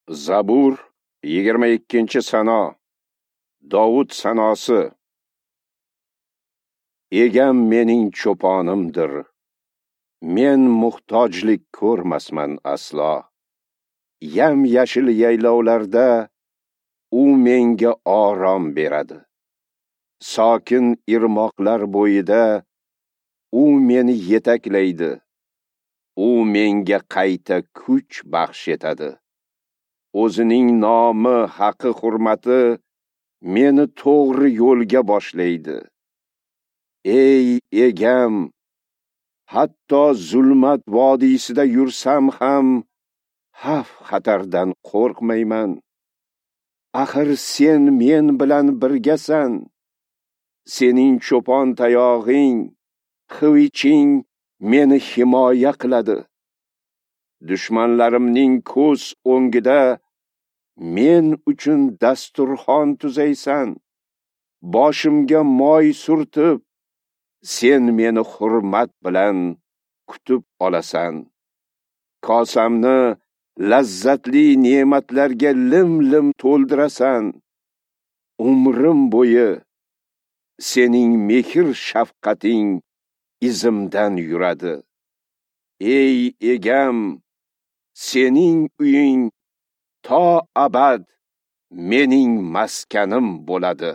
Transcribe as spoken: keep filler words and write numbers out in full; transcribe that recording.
Zabur yigirma ikkinchi sano. Dovud sanosi. Egam mening cho'ponimdir. Men muhtojlik ko'rmasman aslo. Yam-yashil yaylovlarda u menga orom beradi. Sokin irmoqlar bo'yida u meni yetaklaydi. U menga qayta kuch baxsh etadi. O'zining nomi, haqi, hurmati meni to'g'ri yo'lga boshlaydi. Ey egam, hatto zulmat vodiysida yursam ham xavf xatardan qo'rqmayman. Axir sen men bilan birgasan. Sening cho'pon tayog'ing, xiviching meni himoya qiladi. Dushmanlarimning ko'z o'ngida men uchun dasturxon tuzaysan. Boshimga moy surtib, sen meni hurmat bilan kutib olasan. Kosamni lazzatli ne'matlarga lim-lim to'ldirasan. Umrim bo'yi sening mehr shafqating izimdan yuradi. Ey egam, sening uying to abad mening maskanim bo'ladi.